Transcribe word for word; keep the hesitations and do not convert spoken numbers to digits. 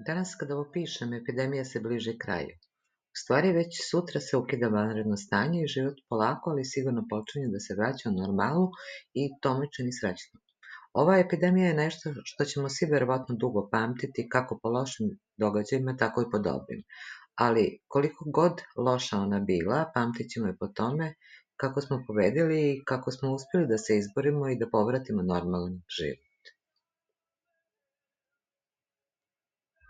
Danas kada ovo pišem, epidemija se bliži kraju. U stvari već sutra se ukida vanredno stanje i život polako, ali sigurno počinje da se vraća u normalu i to me čini srećno. Ova epidemija je nešto što ćemo svi verovatno dugo pamtiti, kako po lošim događajima, tako i po dobrim. Ali koliko god loša ona bila, pamtit ćemo je po tome kako smo pobedili i kako smo uspjeli da se izborimo i da povratimo normalan život.